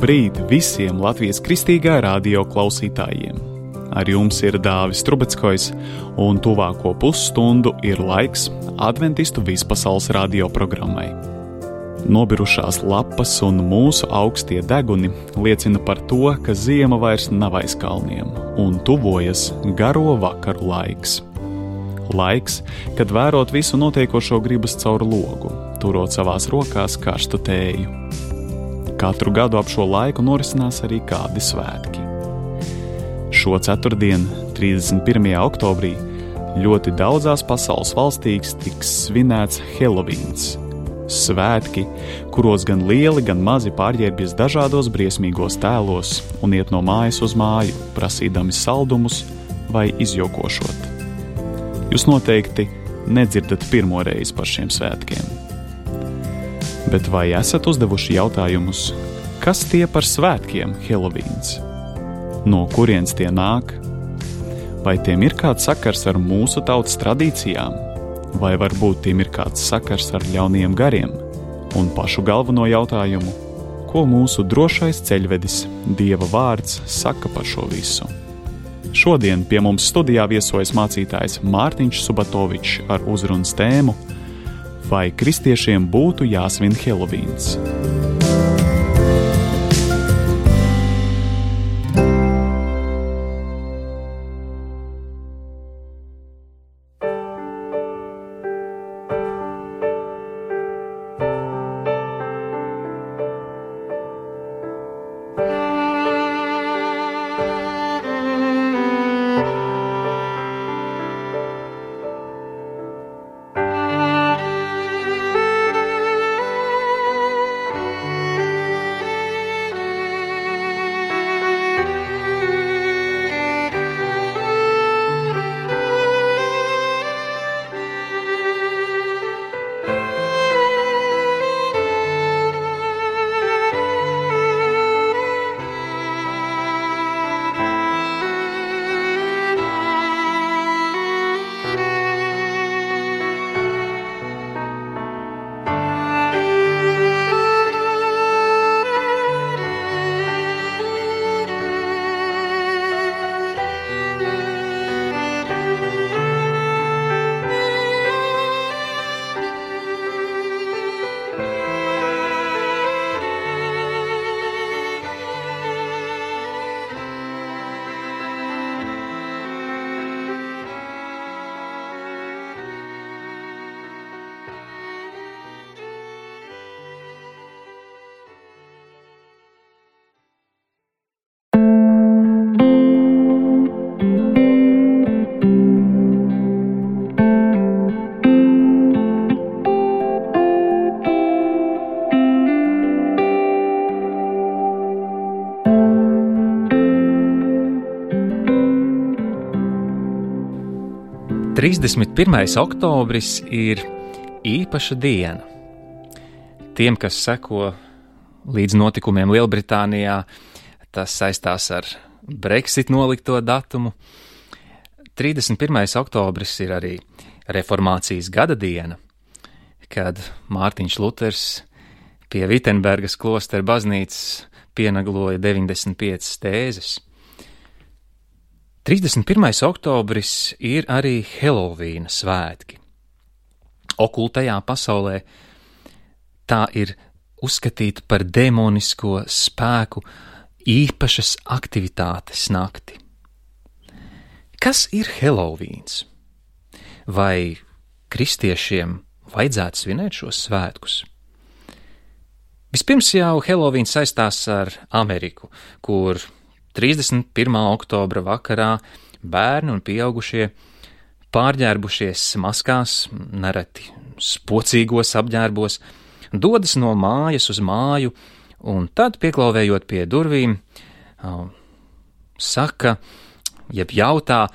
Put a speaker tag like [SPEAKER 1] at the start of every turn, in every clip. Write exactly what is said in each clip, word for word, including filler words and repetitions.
[SPEAKER 1] Labrīt visiem Latvijas Kristīgā radio klausītājiem! Ar jums ir Dāvis Trubeckojs, un tuvāko pusstundu ir laiks Adventistu vispasaules radio programmai. Nobirušās lapas un mūsu augstie deguni liecina par to, ka ziema vairs nav aiz kalniem, un tuvojas garo vakaru laiks. Laiks, kad vērot visu notiekošo gribas caur logu, turot savās rokās karstu tēju. Katru gadu ap šo laiku norisinās arī kādi svētki. Šo ceturtdienu, trīsdesmit pirmajā oktobrī, ļoti daudzās pasaules valstīs tiks svinēts Helovīns. Svētki, kuros gan lieli, gan mazi pārģērbjas dažādos briesmīgos tēlos un iet no mājas uz māju, prasīdami saldumus vai izjokošot. Jūs noteikti nedzirdat pirmo reizi par šiem svētkiem. Bet vai esat uzdevuši jautājumus, kas tie par svētkiem Helovīns? No kurienes tie nāk? Vai tiem ir kāds sakars ar mūsu tautas tradīcijām? Vai varbūt tiem ir kāds sakars ar ļauniem gariem? Un pašu galveno jautājumu, ko mūsu drošais ceļvedis, Dieva vārds, saka par šo visu? Šodien pie mums studijā viesojas mācītājs Mārtiņš Subatovičs ar uzrunas tēmu Vai kristiešiem būtu jāsvin Helovīns?
[SPEAKER 2] trīsdesmit pirmais oktobris ir īpaša diena. Tiem, kas seko līdz notikumiem Lielbritānijā, tas saistās ar Brexit nolikto datumu. trīsdesmit pirmais oktobris ir arī reformācijas gada diena, kad Mārtiņš Luters pie Vitenbergas klostera baznīcas pienagloja deviņdesmit piecas tēzes. trīsdesmit pirmais oktobris ir arī Helovīna svētki. Okultajā pasaulē tā ir uzskatīta par demonisko spēku īpašas aktivitātes nakti. Kas ir Helovīns? Vai kristiešiem vajadzētu svinēt šos svētkus? Vispirms jau Helovīns saistās ar Ameriku, kur trīsdesmit pirmā oktobra vakarā bērni un pieaugušie pārģērbušies maskās, nereti spocīgos apģērbos, dodas no mājas uz māju un tad, pieklauvējot pie durvīm, saka, jeb jautā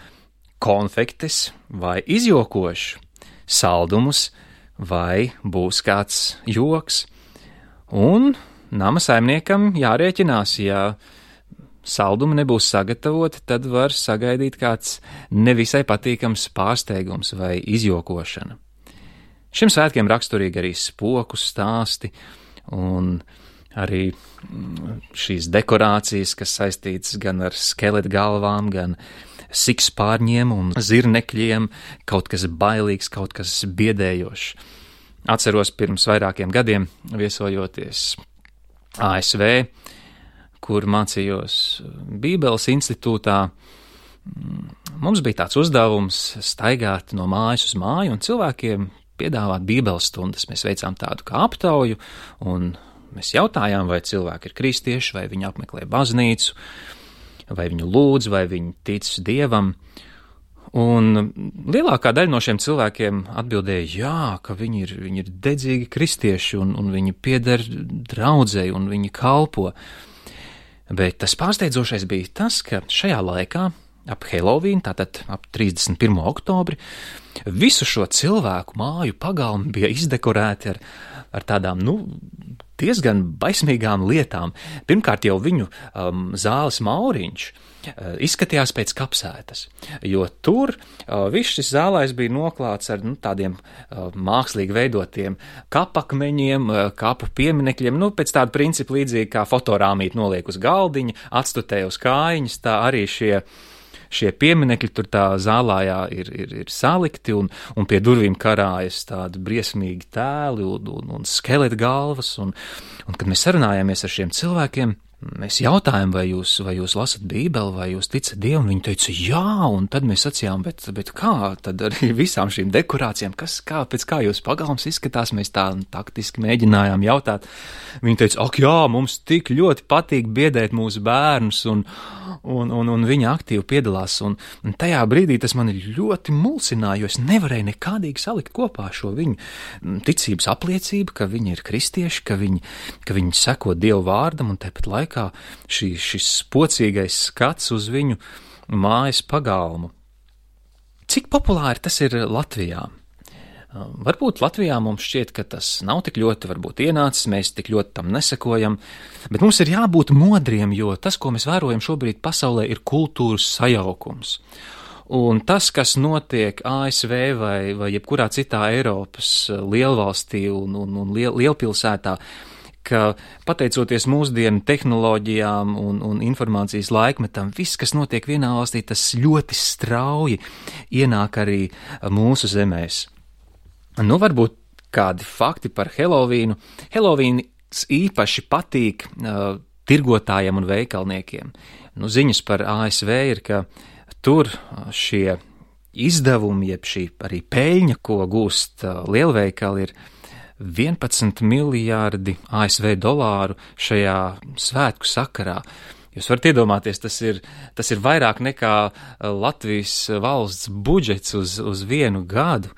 [SPEAKER 2] konfektes vai izjokošu, saldumus vai būs kāds joks. Un nama saimniekam jārēķinās, ja saldumi nebūs sagatavoti, tad var sagaidīt kāds nevisai patīkams pārsteigums vai izjokošana. Šim svētkiem raksturīgi arī spoku stāsti un arī šīs dekorācijas, kas saistītas gan ar skeletu galvām, gan sikspārņiem un zirnekļiem, kaut kas bailīgs, kaut kas biedējošs. Atceros pirms vairākiem gadiem viesojoties A S V, kur mācījos Bībeles institūtā. Mums bija tāds uzdevums staigāt no mājas uz māju un cilvēkiem piedāvāt Bībeles stundas. Mēs veicām tādu kā aptauju un mēs jautājām, vai cilvēki ir kristieši, vai viņi apmeklē baznīcu, vai viņu lūdz, vai viņi tic Dievam. Un lielākā daļa no šiem cilvēkiem atbildēja, jā, ka viņi ir, viņi ir dedzīgi kristieši un, un viņi pieder draudzei un viņi kalpo. Bet tas pārsteidzošais bija tas, ka šajā laikā ap Helovīnu, tātad ap trīsdesmit pirmo oktobri, visu šo cilvēku māju pagalmi bija izdekorēti ar, ar tādām, nu, diezgan baismīgām lietām. Pirmkārt jau viņu um, zāles mauriņš uh, izskatījās pēc kapsētas, jo tur uh, viss šis zālais bija noklāts ar nu, tādiem uh, mākslīgi veidotiem kapakmeņiem, uh, kapu pieminekļiem, nu, pēc tāda principa līdzīgi kā fotorāmīt noliek uz galdiņa, atstutē uz kājiņas, tā arī šie Šie pieminekļi tur tā zālājā ir, ir, ir salikti un, un pie durvīm karājas tādi briesmīgi tēli un, un, un skeleta galvas. Un, un kad mēs sarunājāmies ar šiem cilvēkiem, mēs jautājām, vai jūs, vai jūs lasat Bībeli, vai jūs ticat Dievam, viņi teica, jā, un tad mēs sacījām, bet, bet kā, tad arī visām šīm dekorācijām, kas, kā, pēc kā jūs pagalms izskatās, mēs tā taktiski mēģinājām jautāt. Viņi teica, ak jā, mums tik ļoti patīk biedēt mūsu bērnus, un, un, un, un viņi aktīvi piedalās, un, un tajā brīdī tas mani ļoti mulsināja, jo es nevarēju nekādīgi salikt kopā šo viņu ticības apliecību, ka viņi ir kristieši, ka viņi, ka viņi seko Dievu vārdam, un tāpat laikā kā šī, šis spocīgais skats uz viņu mājas pagalmu. Cik populāri tas ir Latvijā? Varbūt Latvijā mums šķiet, ka tas nav tik ļoti varbūt ienācis, mēs tik ļoti tam nesakojam, bet mums ir jābūt modriem, jo tas, ko mēs vērojam šobrīd pasaulē, ir kultūras sajaukums. Un tas, kas notiek A S V vai, vai jebkurā citā Eiropas lielvalstī un, un, un liel, lielpilsētā, ka pateicoties mūsdienu tehnoloģijām un, un informācijas laikmetam, viss, kas notiek vienā valstī, tas ļoti strauji ienāk arī mūsu zemēs. Nu, varbūt kādi fakti par Helovīnu. Helovīns īpaši patīk uh, tirgotājiem un veikalniekiem. Nu, ziņas par A S V ir, ka tur šie izdevumi, jeb šī arī peļņa, ko gūst uh, lielveikali, ir vienpadsmit miljārdi A S V dolāru šajā svētku sakarā. Jūs varat iedomāties, tas ir, tas ir vairāk nekā Latvijas valsts budžets uz, uz vienu gadu,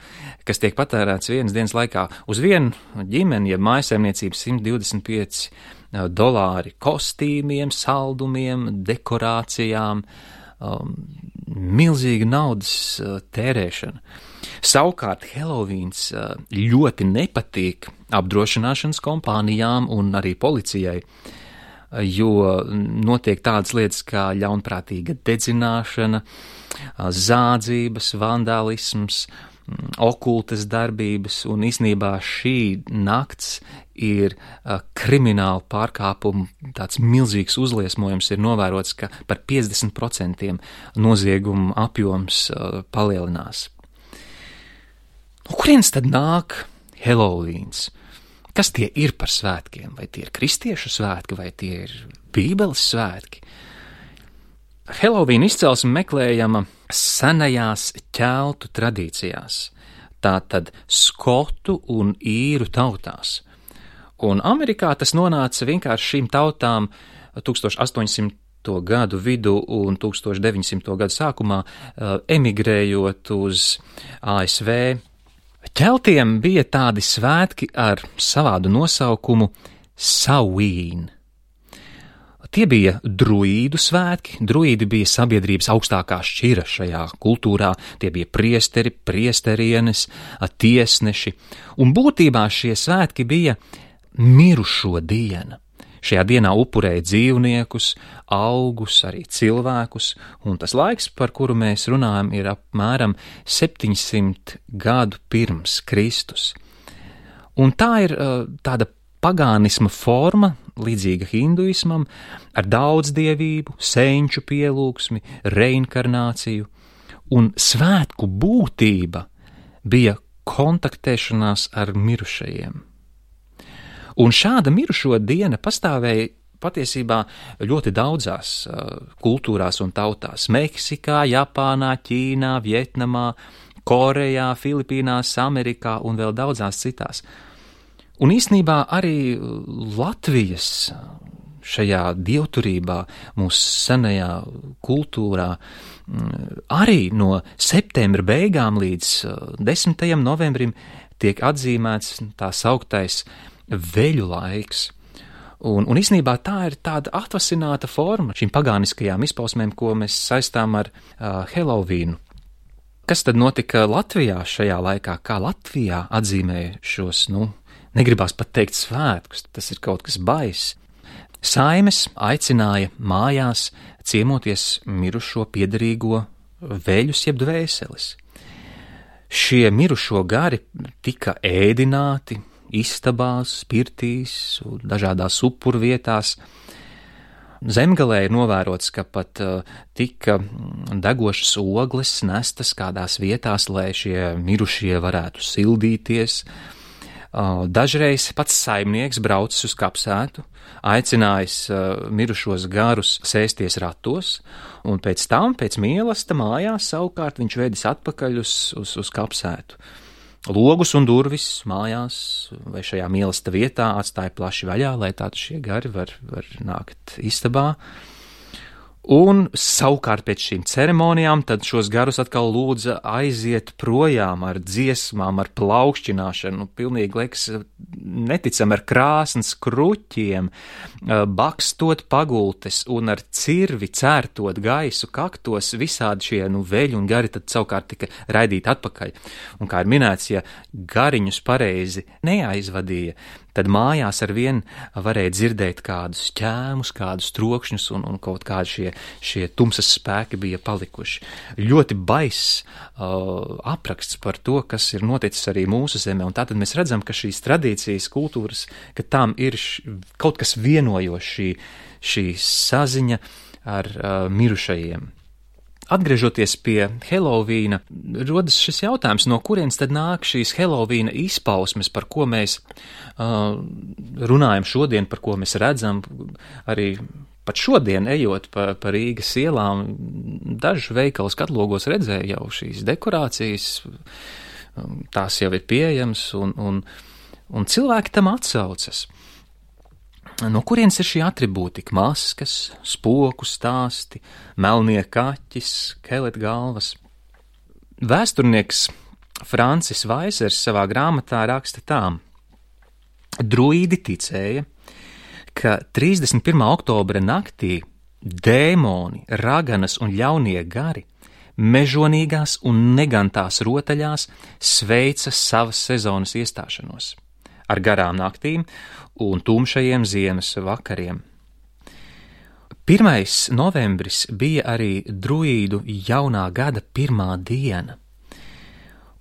[SPEAKER 2] kas tiek patērēts vienas dienas laikā. Uz vienu ģimeni, ja mājsaimniecības simt divdesmit pieci dolāri kostīmiem, saldumiem, dekorācijām, um, milzīga naudas uh, tērēšana. Savukārt Helovīns ļoti nepatīk apdrošināšanas kompānijām un arī policijai, jo notiek tādas lietas kā ļaunprātīga dedzināšana, zādzības, vandālisms, okultas darbības, un īsnībā šī nakts ir krimināla pārkāpuma, tāds milzīgs uzliesmojums ir novērots, ka par piecdesmit procentiem noziegumu apjoms palielinās. No kurienes tad nāk Helovīns? Kas tie ir par svētkiem? Vai tie ir kristiešu svētki, vai tie ir Bībeles svētki? Helovīna izcelsme meklējama senajās ķeltu tradīcijās, tātad skotu un īru tautās. Un Amerikā tas nonāca vienkārši šīm tautām tūkstoš astoņsimto gadu vidu un tūkstoš deviņsimto gadu sākumā emigrējot uz A S V. Ķeltiem bija tādi svētki ar savādu nosaukumu Samhain. Tie bija druīdu svētki, druīdi bija sabiedrības augstākā šķira šajā kultūrā, tie bija priesteri, priesterienes, tiesneši, un būtībā šie svētki bija mirušo diena. Šajā dienā upurēja dzīvniekus, augus, arī cilvēkus, un tas laiks, par kuru mēs runājam, ir apmēram septiņsimt gadu pirms Kristus. Un tā ir tāda pagānisma forma, līdzīga hinduismam, ar daudzdievību, senču pielūgsmi, reinkarnāciju, un svētku būtība bija kontaktēšanās ar mirušajiem. Un šāda mirušo diena pastāvēja patiesībā ļoti daudzās uh, kultūrās un tautās – Meksikā, Japānā, Ķīnā, Vietnamā, Korejā, Filipīnās, Amerikā un vēl daudzās citās. Un īstenībā arī Latvijas šajā dievturībā, mūsu senajā kultūrā, arī no septembra beigām līdz desmitajam novembrim tiek atzīmēts tā sauktais veļu laiks. Un, un īstenībā tā ir tāda atvasināta forma šīm pagāniskajām izpausmēm, ko mēs saistām ar uh, Helovīnu. Kas tad notika Latvijā šajā laikā? Kā Latvijā atzīmēja šos, nu, negribās pat teikt svētkus, tas ir kaut kas baiss. Saimes aicināja mājās ciemoties mirušo piederīgo veļus jeb dvēseles. Šie mirušo gari tika ēdināti istabās, pirtīs un dažādās upurvietās. Zemgalē ir novērots, ka pat uh, tika degošas ogles nestas kādās vietās, lai šie mirušie varētu sildīties. Uh, dažreiz pats saimnieks braucis uz kapsētu, aicinājis uh, mirušos garus sēsties ratos, un pēc tam, pēc mīlesta mājās, savukārt viņš vedis atpakaļ uz, uz, uz kapsētu. Logus un durvis mājās vai šajā mīlesta vietā atstāja plaši vaļā, lai tātad šie gari var, var nākt istabā. Un savukārt pēc šīm ceremonijām tad šos garus atkal lūdza aiziet projām ar dziesmām, ar plaukšķināšanu, nu, pilnīgi liekas neticam ar krāsnes kruķiem, bakstot pagultes un ar cirvi cērtot gaisu kaktos, visādi šie nu, veļi un gari tad savukārt tika raidīti atpakaļ. Un kā ir minēts, ja gariņus pareizi neaizvadīja, tad mājās ar vien varēja dzirdēt kādus ķēmus, kādus trokšņus un, un kaut kādi šie, šie tumsas spēki bija palikuši. Ļoti baiss uh, apraksts par to, kas ir noticis arī mūsu zemē, un tātad mēs redzam, ka šīs tradīcijas, kultūras, ka tām ir š, kaut kas vienojošs, šī, šī saziņa ar uh, mirušajiem. Atgriežoties pie Helovīna, rodas šis jautājums, no kurienes tad nāk šīs Helovīna izpausmes, par ko mēs uh, runājam šodien, par ko mēs redzam, arī pat šodien ejot pa, pa Rīgas ielām, dažu veikalu skatlogos redzēju jau šīs dekorācijas, tās jau ir pieejamas, un, un, un cilvēki tam atsaucas. No kurienes ir šī atribūtika? Maskas, spoku stāsti, melnie kaķi, skeletgalvas. Vēsturnieks Francis Vaisers savā grāmatā raksta tā: druīdi ticēja, ka trīsdesmit pirmā oktobra naktī dēmoni, raganas un ļaunie gari mežonīgās un negantās rotaļās sveica savas sezonas iestāšanos ar garām naktīm un tumšajiem ziemas vakariem. Pirmais novembris bija arī druīdu jaunā gada pirmā diena,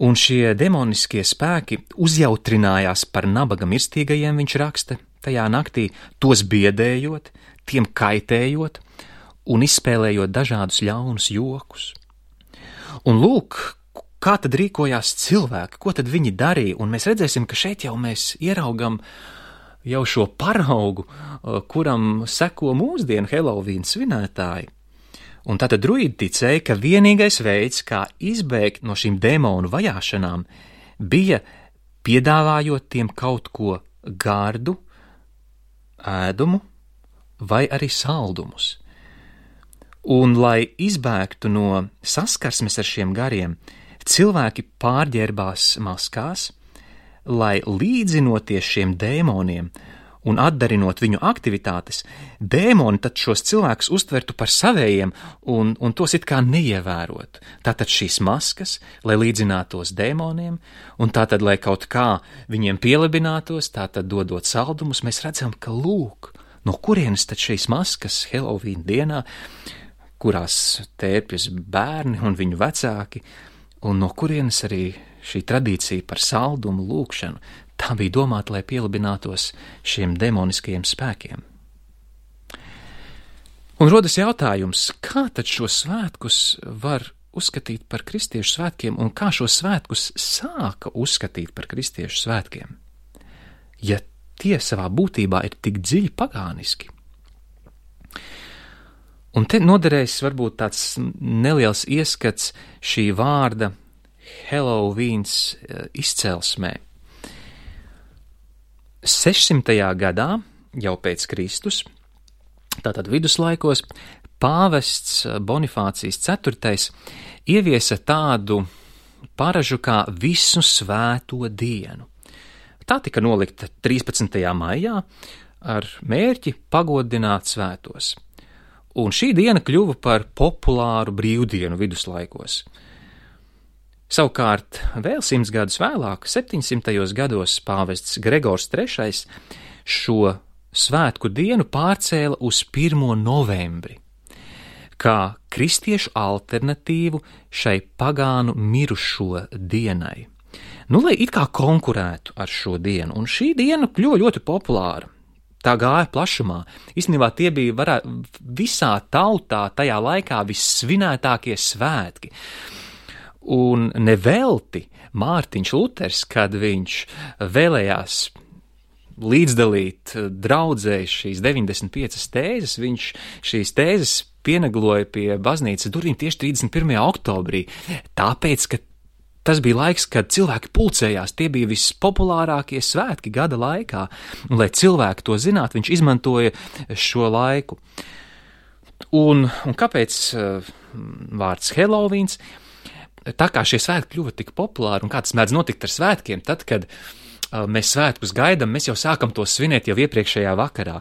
[SPEAKER 2] un šie demoniskie spēki uzjautrinājās par nabaga mirstīgajiem, viņš raksta, tajā naktī tos biedējot, tiem kaitējot un izspēlējot dažādus ļaunus jokus. Un lūk, kā tad rīkojās cilvēki, ko tad viņi darīja, un mēs redzēsim, ka šeit jau mēs ieraugam jau šo paraugu, kuram seko mūsdienu Helovīna svinētāji. Un tātad druīdi ticēja, ka vienīgais veids, kā izbēgt no šīm dēmonu vajāšanām, bija piedāvājot tiem kaut ko gardu, ēdumu vai arī saldumus. Un, lai izbēgtu no saskarsmes ar šiem gariem, cilvēki pārģērbās maskās, lai līdzinoties šiem dēmoniem un atdarinot viņu aktivitātes, dēmoni tad šos cilvēkus uztvertu par savējiem un, un tos it kā neievērot. Tātad šīs maskas, lai līdzinātos dēmoniem, un tātad, lai kaut kā viņiem pielabinātos, tātad dodot saldumus, mēs redzam, ka lūk, no kurienes tad šīs maskas Helovīna dienā, kurās tērpjas bērni un viņu vecāki, un no kurienes arī šī tradīcija par saldumu lūkšanu. tā bija domāta, lai pielabinātos šiem demoniskajiem spēkiem. Un rodas jautājums, kā tad šos svētkus var uzskatīt par kristiešu svētkiem un kā šos svētkus sāka uzskatīt par kristiešu svētkiem, ja tie savā būtībā ir tik dziļi pagāniski. Un te noderēs varbūt tāds neliels ieskats šī vārda Helovīns izcelsmē. sešsimtajā gadā, jau pēc Kristus, tātad viduslaikos, pāvests Bonifācijas ceturtais ieviesa tādu paražu kā visu svēto dienu. Tā tika nolikta trīspadsmitajā maijā ar mērķi pagodināt svētos. Un šī diena kļuva par populāru brīvdienu viduslaikos. Savukārt, vēl simts gadus vēlāk, septiņsimtajos gados, pāvests Gregors trešais šo svētku dienu pārcēla uz pirmo novembri, kā kristiešu alternatīvu šai pagānu mirušo dienai. Nu, lai it kā konkurētu ar šo dienu, un šī diena kļuva ļoti populāra. Tā gāja plašumā. Īstenībā tie bija varā, visā tautā tajā laikā vissvinētākie svētki. Un nevelti Mārtiņš Luters, kad viņš vēlējās līdzdalīt draudzē šīs deviņdesmit piecas tēzes, viņš šīs tēzes pienagloja pie baznīcas durvīm tieši trīsdesmit pirmajā oktobrī, tāpēc, ka tas bija laiks, kad cilvēki pulcējās, tie bija vispopulārākie svētki gada laikā, un, lai cilvēki to zinātu, viņš izmantoja šo laiku. Un, un kāpēc uh, vārds Helovīns? Tā kā šie svētki kļuva tik populāri, un kā tas mēdz notikt ar svētkiem, tad, kad uh, mēs svētkus gaidām, mēs jau sākam to svinēt jau iepriekšējā vakarā.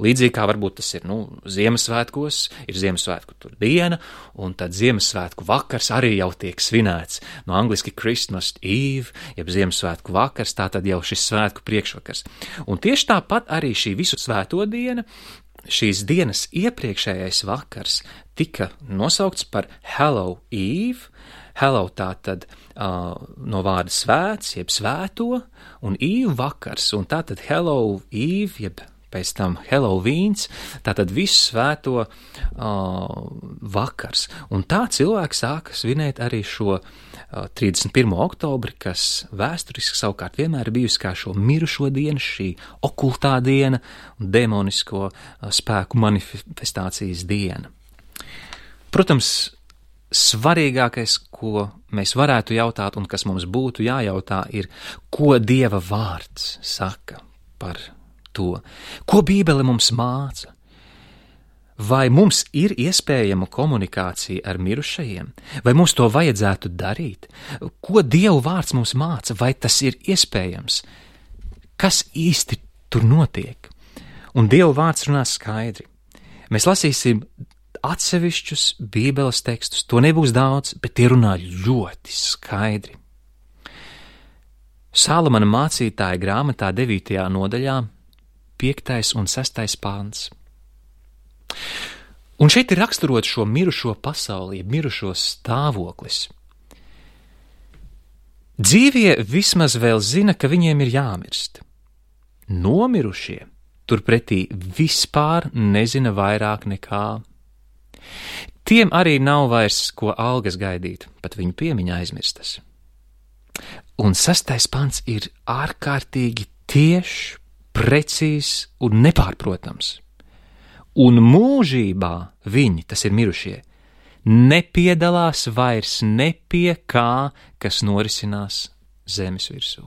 [SPEAKER 2] Līdzīgi kā varbūt tas ir, nu, Ziemassvētkos, ir Ziemassvētku tur diena, un tad Ziemassvētku vakars arī jau tiek svinēts. No angliski Christmas Eve, jeb Ziemassvētku vakars, tā tad jau šis svētku priekšvakars. Un tieši tāpat arī šī visu svēto diena, šīs dienas iepriekšējais vakars tika nosaukts par Hallow Eve. Hello tā tad uh, no vārda svēts, jeb svēto, un Eve vakars, un tā tad Hello Eve, jeb pēc tam Helovīns, tā tad visu svēto uh, vakars. Un tā cilvēki sāka svinēt arī šo uh, trīsdesmit pirmo oktobri, kas vēsturiski savukārt vienmēr ir bijusi kā šo mirušo dienu, šī okultā diena un demonisko uh, spēku manifestācijas diena. Protams, svarīgākais, ko mēs varētu jautāt un kas mums būtu jājautā, ir, ko Dieva vārds saka par to, ko Bībele mums māca. Vai mums ir iespējama komunikācija ar mirušajiem, vai mums to vajadzētu darīt? Ko Dieva vārds mums māca, vai tas ir iespējams? Kas īsti tur notiek? Un Dieva vārds runā skaidri. Mēs lasīsim atsevišķus Bībeles tekstus, to nebūs daudz, bet tie runā ļoti skaidri. Salamana mācītāja grāmatā devītajā nodaļā, piektais un sestais pāns. Un šeit ir raksturot šo mirušo pasauli, mirušo stāvoklis. Dzīvie vismaz vēl zina, ka viņiem ir jāmirst. Nomirušie turpretī vispār nezina vairāk nekā. Tiem arī nav vairs ko algas gaidīt, pat viņu piemiņa aizmirstas. Un sastais pants ir ārkārtīgi tiešs, precīzs un nepārprotams. Un mūžībā viņi, tas ir mirušie, nepiedalās vairs ne pie kā, kas norisinās zemes virsū.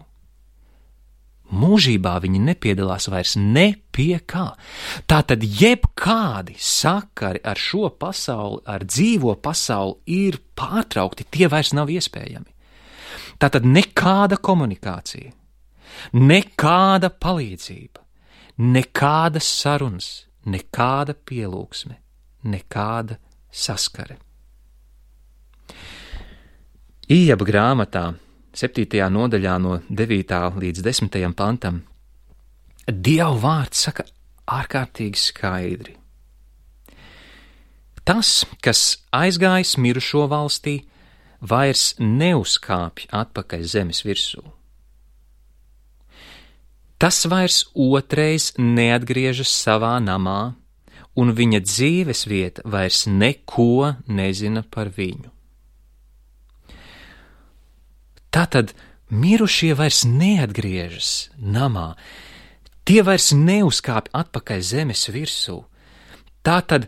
[SPEAKER 2] Mūžībā viņi nepiedalās vairs ne pie kā. Tātad jebkādi sakari ar šo pasauli, ar dzīvo pasauli ir pārtraukti, tie vairs nav iespējami. Tātad nekāda komunikācija, nekāda palīdzība, nekādas sarunas, nekāda pielūgsme, nekāda saskare. Ījaba grāmatā septītajā nodaļā no devītā līdz desmitajam pantam, Dieva vārds saka ārkārtīgi skaidri. Tas, kas aizgājis mirušo valstī, vairs neuzkāpj atpakaļ zemes virsū. Tas vairs otrais neatgriežas savā namā, un viņa dzīves vieta vairs neko nezina par viņu. Tātad mirušie vairs neatgriežas namā, tie vairs neuzkāpj atpakaļ zemes virsū. Tātad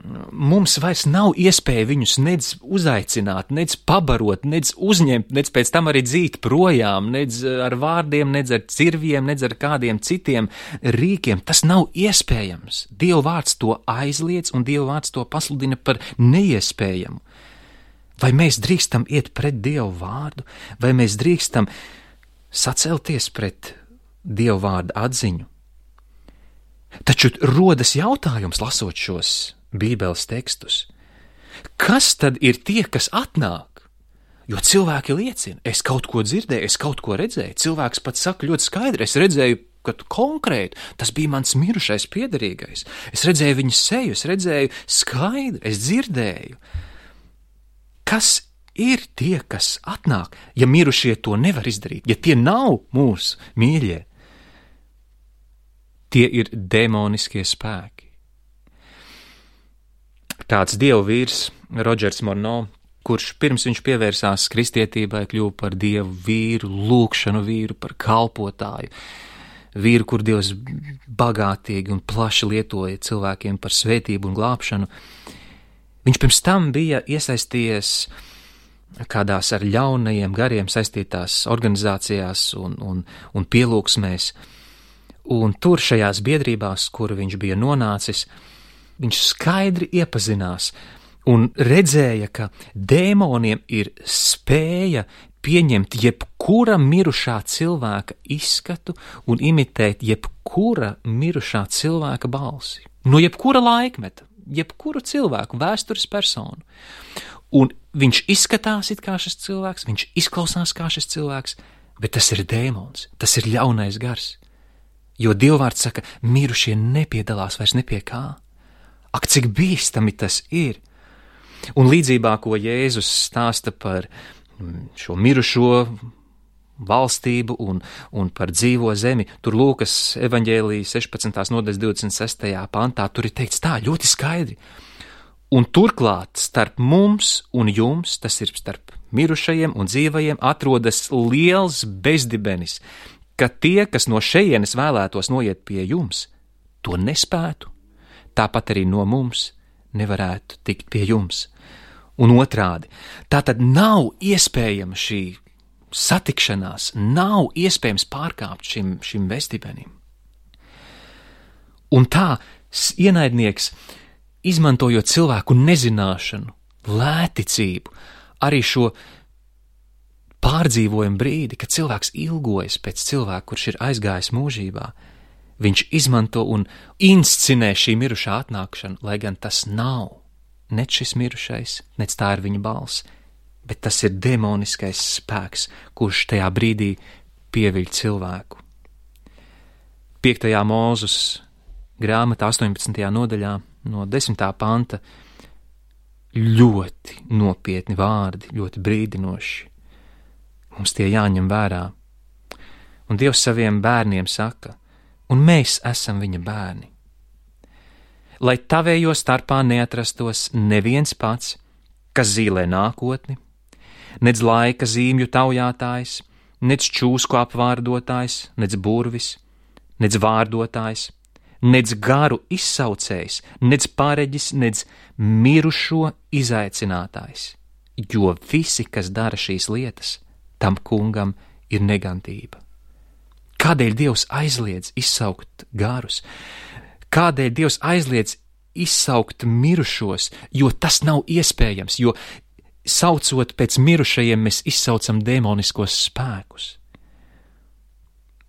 [SPEAKER 2] mums vairs nav iespēja viņus nedz uzaicināt, nedz pabarot, nedz uzņemt, nedz pēc tam arī dzīt projām, nedz ar vārdiem, nedz ar cirviem, nedz ar kādiem citiem rīkiem. Tas nav iespējams. Dieva vārds to aizliedz, un Dieva vārds to pasludina par neiespējamu. Vai mēs drīkstam iet pret Dievu vārdu, vai mēs drīkstam sacelties pret Dievu vārdu atziņu? Taču rodas jautājums, lasot šos Bībeles tekstus. Kas tad ir tie, kas atnāk? Jo cilvēki liecina, es kaut ko dzirdēju, es kaut ko redzēju. Cilvēks pat saka ļoti skaidri, es redzēju, ka konkrēti tas bija mans mirušais piederīgais. Es redzēju viņa seju, es redzēju skaidri, es dzirdēju. Kas ir tie, kas atnāk, ja mirušie to nevar izdarīt, ja tie nav mūsu mīļie? Tie ir demoniskie spēki. Kāds dievu vīrs, Rodžers Morno, kurš pirms viņš pievērsās kristietībai, kļuva par dievu vīru, lūgšanu vīru, par kalpotāju, vīru, kur Dievs bagātīgi un plaši lietoja cilvēkiem par svētību un glābšanu. Viņš pirms tam bija iesaistījies kādās ar ļaunajiem gariem saistītās organizācijās un, un, un pielūgsmēs, un tur šajās biedrībās, kur viņš bija nonācis, viņš skaidri iepazinās un redzēja, ka dēmoniem ir spēja pieņemt jebkura mirušā cilvēka izskatu un imitēt jebkura mirušā cilvēka balsi. No jebkura laikmeta, jebkuru cilvēku, vēstures personu. Un viņš izskatās it kā šis cilvēks, viņš izklausās kā šis cilvēks, bet tas ir dēmons, tas ir ļaunais gars. Jo Dievvvārds saka, mirušie nepiedalās vairs ne pie kā. Ak, cik bīstami tas ir! Un līdzībā, ko Jēzus stāsta par šo mirušo valstību un, un par dzīvo zemi, tur Lūkas evaņģēlija sešpadsmitās nodaļas divdesmit sestajā pantā, tur ir teikts tā ļoti skaidri. Un turklāt starp mums un jums, tas ir starp mirušajiem un dzīvajiem, atrodas liels bezdibenis, ka tie, kas no šejienes vēlētos noiet pie jums, to nespētu, tāpat arī no mums nevarētu tikt pie jums. Un otrādi, tā tad nav iespējama šī satikšanās, nav iespējams pārkāpt šim, šim vestibenim. Un tā ienaidnieks, izmantojot cilvēku nezināšanu, lēticību, arī šo pārdzīvojumu brīdi, kad cilvēks ilgojas pēc cilvēka, kurš ir aizgājis mūžībā, viņš izmanto un inscinē šī mirušā atnākšanu, lai gan tas nav nec šis mirušais, nec tā ir viņa balss, bet tas ir demoniskais spēks, kurš tajā brīdī pieviļ cilvēku. Piektajā Mūzes grāmatā astoņpadsmitajā nodaļā no desmitā panta ļoti nopietni vārdi, ļoti brīdinoši. Mums tie jāņem vērā. Un Dievs saviem bērniem saka, un mēs esam viņa bērni. Lai tavējo starpā neatrastos neviens pats, kas zīlē nākotni, nec laika zīmju taujātājs, nec čūsku apvārdotājs, nec burvis, nec vārdotājs, nec garu izsaucējs, nec pareģis, nec mirušo izaicinātājs, jo visi, kas dara šīs lietas, tam kungam ir negantība. Kādēļ Dievs aizliedz izsaukt garus? Kādēļ Dievs aizliedz izsaukt mirušos? Jo tas nav iespējams, jo saucot pēc mirušajiem, mēs izsaucam demoniskos spēkus.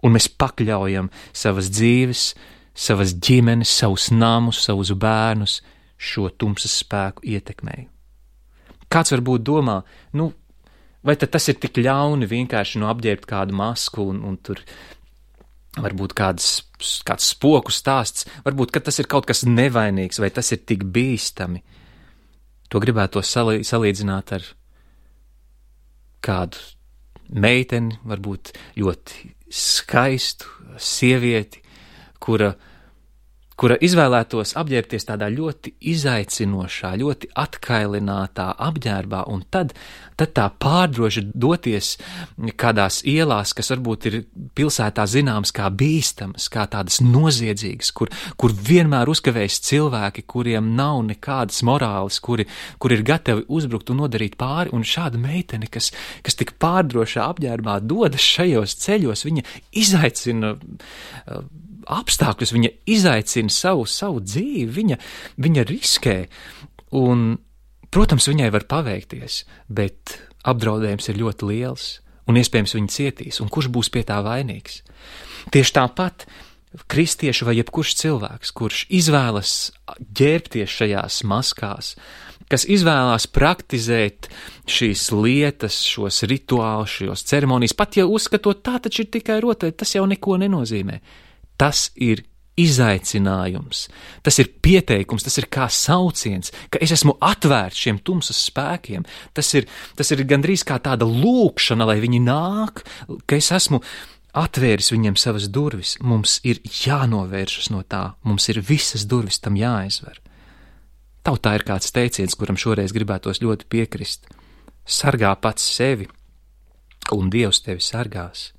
[SPEAKER 2] Un mēs pakļaujam savas dzīves, savas ģimenes, savus namus, savus bērnus šo tumsas spēku ietekmei. Kāds varbūt domā, nu, vai tad tas ir tik ļauni vienkārši no apģērbt kādu masku un, un tur varbūt kāds, kāds spoku stāsts, varbūt, ka tas ir kaut kas nevainīgs, vai tas ir tik bīstami. To gribētu salī, salīdzināt ar kādu meiteni, varbūt ļoti skaistu sievieti, kura kura izvēlētos apģērbties tādā ļoti izaicinošā, ļoti atkailinātā apģērbā, un tad, tad tā pārdroši doties kādās ielās, kas varbūt ir pilsētā zināmas kā bīstamas, kā tādas noziedzīgas, kur, kur vienmēr uzkavējas cilvēki, kuriem nav nekādas morāles, kuri, kuri ir gatavi uzbrukt un nodarīt pāri, un šāda meitene, kas, kas tik pārdrošā apģērbā dodas šajos ceļos, viņa izaicina uh, apstākļus, viņa izaicina savu, savu dzīvi, viņa, viņa riskē, un, protams, viņai var paveikties, bet apdraudējums ir ļoti liels, un iespējams viņa cietīs, un kurš būs pie tā vainīgs? Tieši tāpat kristieši vai jebkurš cilvēks, kurš izvēlas ģērbties šajās maskās, kas izvēlās praktizēt šīs lietas, šos rituālus, šos ceremonijas, pat ja uzskatot tā taču ir tikai rotaļa, tas jau neko nenozīmē. Tas ir izaicinājums, tas ir pieteikums, tas ir kā sauciens, ka es esmu atvērts šiem tumsas spēkiem, tas ir, tas ir gandrīz kā tāda lūkšana, lai viņi nāk, ka es esmu atvēris viņiem savas durvis, mums ir jānovēršas no tā, mums ir visas durvis tam jāaizver. Tautā ir kāds teiciens, kuram šoreiz gribētos ļoti piekrist. Sargā pats sevi, un Dievs tevi sargās.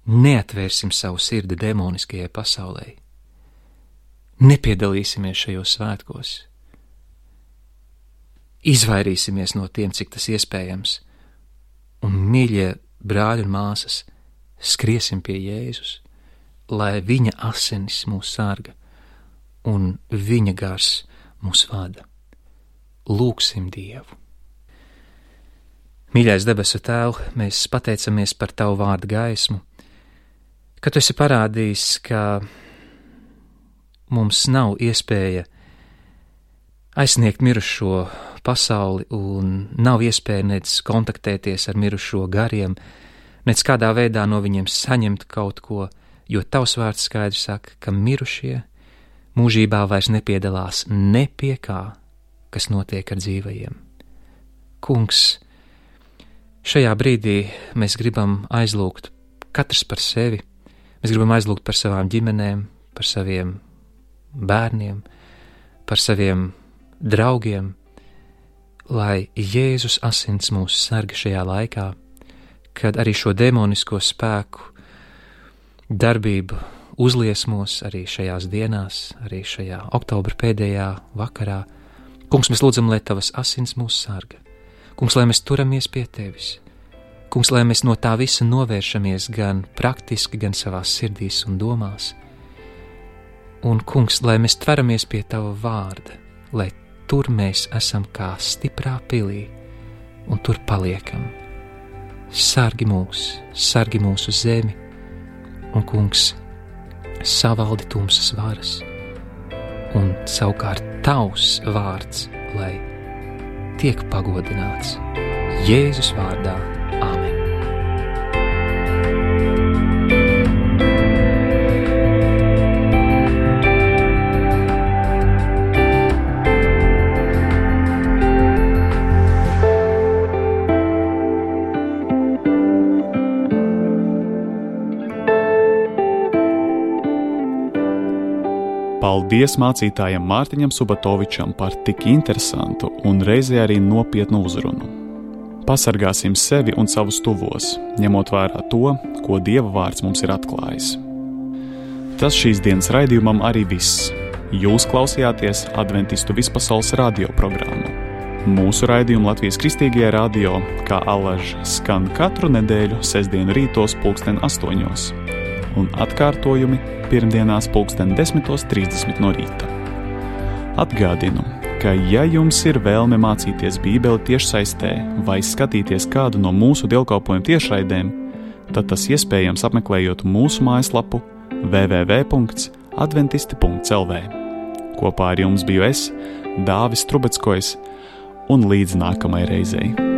[SPEAKER 2] Neatvērsim savu sirdi demoniskajai pasaulē. Nepiedalīsimies šajos svētkos. Izvairīsimies no tiem, cik tas iespējams. Un, mīļie brāļi un māsas, skriesim pie Jēzus, lai viņa asinis mūs sarga un viņa gars mūs vada. Lūksim Dievu. Mīļais debesu Tēv, mēs pateicamies par Tavu vārdu gaismu, ka Tu esi parādījis, ka mums nav iespēja aizsniegt mirušo pasauli un nav iespēja nec kontaktēties ar mirušo gariem, nec kādā veidā no viņiem saņemt kaut ko, jo Tavs vārds skaidri saka, ka mirušie mūžībā vairs nepiedalās ne pie kā, kas notiek ar dzīvajiem. Kungs, šajā brīdī mēs gribam aizlūgt katrs par sevi, mēs gribam aizlūgt par savām ģimenēm, par saviem bērniem, par saviem draugiem, lai Jēzus asins mūs sarga šajā laikā, kad arī šo demonisko spēku darbību uzliesmos arī šajās dienās, arī šajā oktobra pēdējā vakarā. Kungs, mēs lūdzam, lai Tavas asins mūs sarga. Kungs, lai mēs turamies pie Tevis. Kungs, lai mēs no tā visa novēršamies gan praktiski, gan savās sirdīs un domās. Un, Kungs, lai mēs tveramies pie Tava vārda, lai tur mēs esam kā stiprā pilī un tur paliekam. Sargi mūs, sargi mūsu zemi un, Kungs, savaldi tumsas varas un savukārt Tavs vārds, lai tiek pagodināts Jēzus vārdā. Āmen.
[SPEAKER 1] Paldies mācītājam Mārtiņam Subatovičam par tik interesantu un reizē arī nopietnu uzrunu. Pasargāsim sevi un savus tuvos, ņemot vērā to, ko Dieva vārds mums ir atklājis. Tas šīs dienas raidījumam arī viss. Jūs klausījāties Adventistu vispasaules radio programmu. Mūsu raidījumu Latvijas Kristīgajā radio, kā alaž, skan katru nedēļu sestdienu rītos pulksten astoņos un atkārtojumi pirmdienās pulksten desmitos trīsdesmit no rīta. Atgādinu, ka ja jums ir vēlme mācīties Bībeli tiešsaistē vai skatīties kādu no mūsu dievkalpojumu tiešraidēm, tad tas iespējams apmeklējot mūsu mājaslapu w w w punkts adventisti punkts l v. Kopā ar jums biju es, Dāvis Trubeckojs, un līdz nākamai reizei.